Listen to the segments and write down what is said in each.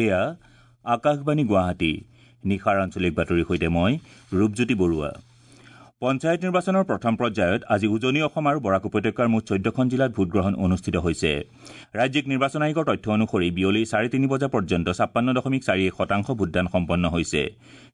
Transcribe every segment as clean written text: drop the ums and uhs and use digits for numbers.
এয়া আকাশবাণী গুৱাহাটী। নিশাৰ আঞ্চলিক বাতৰিৰ সৈতে মই ৰূপজ্যোতি বৰুৱা। পঞ্চায়ত নিৰ্বাচনৰ প্ৰথম পৰ্যায়ত আজি উজনি অসম আৰু বৰাক উপত্যকাৰ মুঠ 14খন জিলাত ভোটগ্ৰহণ অনুষ্ঠিত হৈছে। ৰাজ্যিক নিৰ্বাচন আয়োগৰ তথ্য অনুসৰি বিয়লি 3:30 বজা পৰ্যন্ত 56.41% ভোটদান সম্পন্ন হৈছে।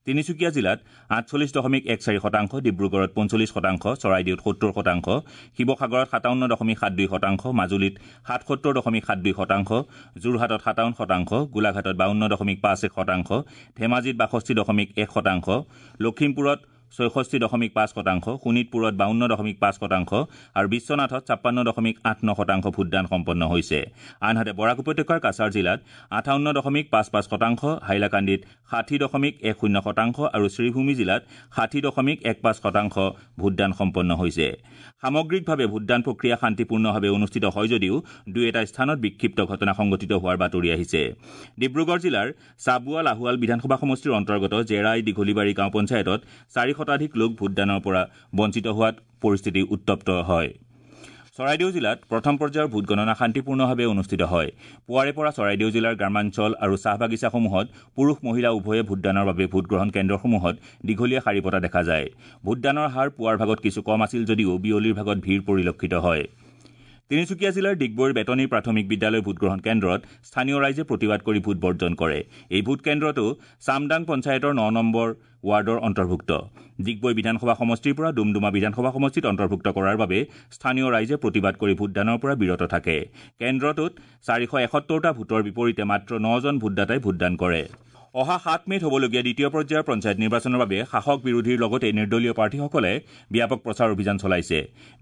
তিনিচুকীয়া জিলাত 48.14%, ডিব্ৰুগড়ত 45%, চৰাইদেউত 70%, শিৱসাগৰত 57.72%, মাজুলীত 77.72%, যোৰহাটত 57%, গোলাঘাটত 52.51%, ধেমাজিত 62.1%, লখিমপুৰত 66.5%, শোণিতপুৰত 52.5% আৰু বিশ্বনাথত 56.89% ভোটদান সম্পন্ন হৈছে। আনহাতে বৰাক উপত্যকাৰ কাছাৰ জিলাত 58.55%, হাইলাকান্দিত 60.10% আৰু শ্ৰীভূমি জিলাত 60.15% ভোটদান সম্পন্ন হৈছে। সামগ্ৰিকভাৱে ভোটদান প্ৰক্ৰিয়া শান্তিপূৰ্ণভাৱে অনুষ্ঠিত হয় যদিও দুই এটা স্থানত বিক্ষিপ্ত ঘটনা সংঘটিত হোৱাৰ বাতৰি আহিছে। ডিব্ৰুগড় জিলাৰ চাবুৱা লাহোৱাল বিধানসভা সমষ্টিৰ অন্তৰ্গত জেৰাই দীঘলীবাৰী গাঁও পঞ্চায়তত 4 শতাধিক লোক ভোটদানৰ পৰা বঞ্চিত হোৱাত পৰিস্থিতি উত্তপ্ত হয়। চৰাইদেউ জিলাত প্ৰথম পৰ্যায়ৰ ভোটগণনা শান্তিপূৰ্ণভাৱে অনুষ্ঠিত হয়। পুৱাৰে পৰা চৰাইদেউ জিলাৰ গ্ৰামাঞ্চল আৰু চাহ বাগিচাসমূহত পুৰুষ মহিলা উভয়ে ভোটদানৰ বাবে ভোটগ্ৰহণ কেন্দ্ৰসমূহত দীঘলীয়া শাৰী পতা দেখা যায়। ভোটদানৰ হাৰ পুৱাৰ ভাগত কিছু কম আছিল যদিও বিয়লিৰ ভাগত ভিৰ পৰিলক্ষিত হয়। তিনিচুকীয়া জিলাৰ ডিগবৈৰ বেতনী প্ৰাথমিক বিদ্যালয় ভোটগ্ৰহণ কেন্দ্ৰত স্থানীয় ৰাইজে প্ৰতিবাদ কৰি ভোট বৰ্জন কৰে। এই ভোট কেন্দ্ৰটো চামদাং পঞ্চায়তৰ 9 নম্বৰ ৱাৰ্ডৰ অন্তৰ্ভুক্ত। ডিগবৈ বিধানসভা সমষ্টিৰ পৰা ডুমডুমা বিধানসভা সমষ্টিত অন্তৰ্ভুক্ত কৰাৰ বাবে স্থানীয় ৰাইজে প্ৰতিবাদ কৰি ভোটদানৰ পৰা বিৰত থাকে। কেন্দ্ৰটোত 471টা ভোটৰ বিপৰীতে মাত্ৰ 9জন ভোটদাতাই ভোটদান কৰে। অহা 7 মে'ত হ'বলগীয়া দ্বিতীয় পৰ্যায়ৰ পঞ্চায়ত নিৰ্বাচনৰ বাবে শাসক বিৰোধীৰ লগতে নিৰ্দলীয় প্ৰাৰ্থীসকলে ব্যাপক প্ৰচাৰ অভিযান চলাইছে।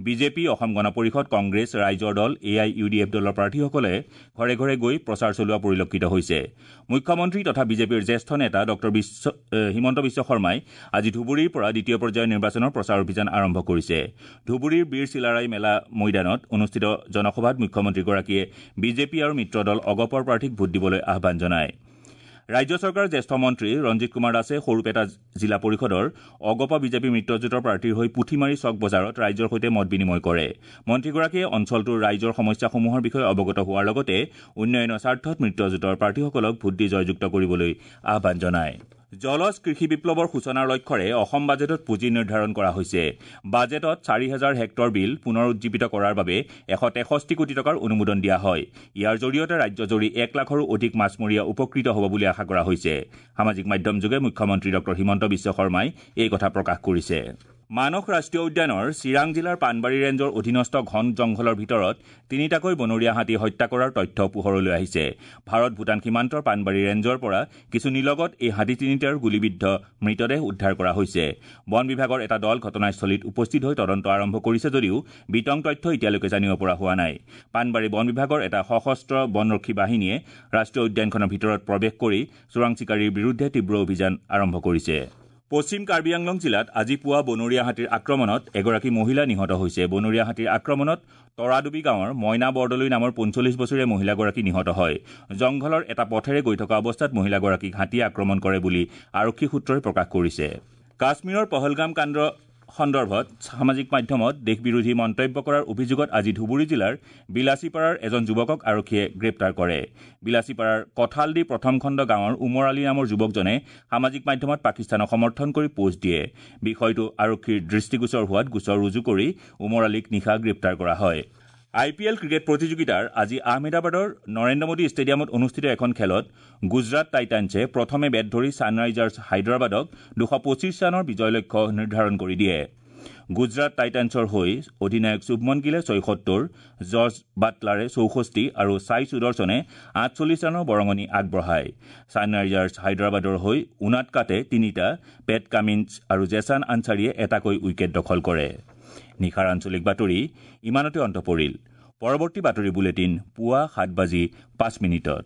বিজেপি, অসম গণ পৰিষদ, কংগ্ৰেছ, ৰাইজৰ দল, A I U D F দলৰ প্ৰাৰ্থীসকলে ঘৰে ঘৰে গৈ প্ৰচাৰ চলোৱা পৰিলক্ষিত হৈছে। মুখ্যমন্ত্ৰী তথা বিজেপিৰ জ্যেষ্ঠ নেতা ডঃ হিমন্ত বিশ্ব শৰ্মাই আজি ধুবুৰীৰ পৰা দ্বিতীয় পৰ্যায়ৰ নিৰ্বাচনৰ প্ৰচাৰ অভিযান আৰম্ভ কৰিছে। ধুবুৰীৰ বীৰ চিলাৰায় মেলা মৈদানত অনুষ্ঠিত জনসভাত মুখ্যমন্ত্ৰীগৰাকীয়ে বিজেপি আৰু মিত্ৰ দল অগপৰ প্ৰাৰ্থীক ভোট দিবলৈ আহ্বান জনায়। ৰাজ্য চৰকাৰৰ জ্যেষ্ঠ মন্ত্ৰী ৰঞ্জিত কুমাৰ দাসে সৰুপেটা জিলা পৰিষদৰ অগপ বিজেপি মিত্ৰজোঁটৰ প্ৰাৰ্থীৰ হৈ পুথিমাৰী চক বজাৰত ৰাইজৰ সৈতে মত বিনিময় কৰে। মন্ত্ৰীগৰাকীয়ে অঞ্চলটোৰ ৰাইজৰ সমস্যাসমূহৰ বিষয়ে অৱগত হোৱাৰ লগতে উন্নয়নৰ স্বাৰ্থত মিত্ৰজোঁটৰ প্ৰাৰ্থীসকলক ভোট দি জয়যুক্ত কৰিবলৈ আহ্বান জনায়। জলজ কৃষি বিপ্লৱৰ সূচনাৰ লক্ষ্যৰে অসম বাজেটত পুঁজি নিৰ্ধাৰণ কৰা হৈছে। বাজেটত 4000 হেক্টৰ বিল পুনৰ উজ্জীৱিত কৰাৰ বাবে 163 কোটি টকাৰ অনুমোদন দিয়া হয়। ইয়াৰ জৰিয়তে ৰাজ্যজুৰি 1 লাখৰো অধিক মাছমৰীয়া উপকৃত হ'ব বুলি আশা কৰা হৈছে। সামাজিক মাধ্যমযোগে মুখ্যমন্ত্ৰী ডঃ হিমন্ত বিশ্ব শৰ্মাই এই কথা প্ৰকাশ কৰিছে। মানস ৰাষ্ট্ৰীয় উদ্যানৰ চিৰাং জিলাৰ পাণবাৰী ৰেঞ্জৰ অধীনস্থ ঘন জংঘলৰ ভিতৰত 3টাকৈ বনৰীয়া হাতী হত্যা কৰাৰ তথ্য পোহৰলৈ আহিছে। ভাৰত ভূটান সীমান্তৰ পাণবাৰী ৰেঞ্জৰ পৰা কিছু নিলগত এই হাতী 3টাৰ গুলীবিদ্ধ মৃতদেহ উদ্ধাৰ কৰা হৈছে। বন বিভাগৰ এটা দল ঘটনাস্থলীত উপস্থিত হৈ তদন্ত আৰম্ভ কৰিছে যদিও বিতং তথ্য এতিয়ালৈকে জানিব পৰা হোৱা নাই। পাণবাৰী বন বিভাগৰ এটা সশস্ত্ৰ বনৰক্ষী বাহিনীয়ে ৰাষ্ট্ৰীয় উদ্যানখনৰ ভিতৰত প্ৰৱেশ কৰি চোৰাং চিকাৰীৰ বিৰুদ্ধে তীব্ৰ অভিযান আৰম্ভ কৰিছে। পশ্চিম কাৰ্বি আংলং জিলাত আজি পুৱা বনৰীয়া হাতীৰ আক্ৰমণত এগৰাকী মহিলা নিহত হৈছে। বনৰীয়া হাতীৰ আক্ৰমণত তৰাডুবি গাঁৱৰ মইনা বৰদলৈ নামৰ 45 বছৰীয়া মহিলাগৰাকী নিহত হয়। জংঘলৰ এটা পথেৰে গৈ থকা অৱস্থাত মহিলাগৰাকীক হাতীয়ে আক্ৰমণ কৰে বুলি আৰক্ষী সূত্ৰই প্ৰকাশ কৰিছে। কাশ্মীৰৰ পহলগাম কাণ্ড সন্দৰ্ভত সামাজিক মাধ্যমত দেশ বিৰোধী মন্তব্য কৰাৰ অভিযোগত আজি ধুবুৰী জিলাৰ বিলাচীপাৰাৰ এজন যুৱকক আৰক্ষীয়ে গ্ৰেপ্তাৰ কৰে। বিলাচীপাৰাৰ কঠালদি প্ৰথম খণ্ড গাঁৱৰ উমৰ আলী নামৰ যুৱকজনে সামাজিক মাধ্যমত পাকিস্তানক সমৰ্থন কৰি পোষ্ট দিয়ে। বিষয়টো আৰক্ষীৰ দৃষ্টিগোচৰ হোৱাত গোচৰ ৰুজু কৰি উমৰ আলীক নিশা গ্ৰেপ্তাৰ কৰা হয়। আই পি এল ক্ৰিকেট প্ৰতিযোগিতাৰ আজি আহমেদাবাদৰ নৰেন্দ্ৰ মোদী ষ্টেডিয়ামত অনুষ্ঠিত এখন খেলত গুজৰাট টাইটানছে প্ৰথমে বেট ধৰি ছানৰাইজাৰ্ছ হায়দৰাবাদক 225 ৰানৰ বিজয় লক্ষ্য নিৰ্ধাৰণ কৰি দিয়ে। গুজৰাট টাইটানছৰ হৈ অধিনায়ক শুভমন গিলে 76, জৰ্জ বাটলাৰে 64 আৰু ছাই সুদৰ্শনে 48 ৰানৰ বৰঙণি আগবঢ়ায়। ছানৰাইজাৰ্ছ হায়দৰাবাদৰ হৈ উনাদকাটে 3টা, পেট কামিন্স আৰু জেছান আনছাৰীয়ে এটাকৈ উইকেট দখল কৰে। নিশাৰ আঞ্চলিক বাতৰি ইমানতে অন্ত পৰিল। পৰৱৰ্তী বাতৰি বুলেটিন পুৱা 7:05।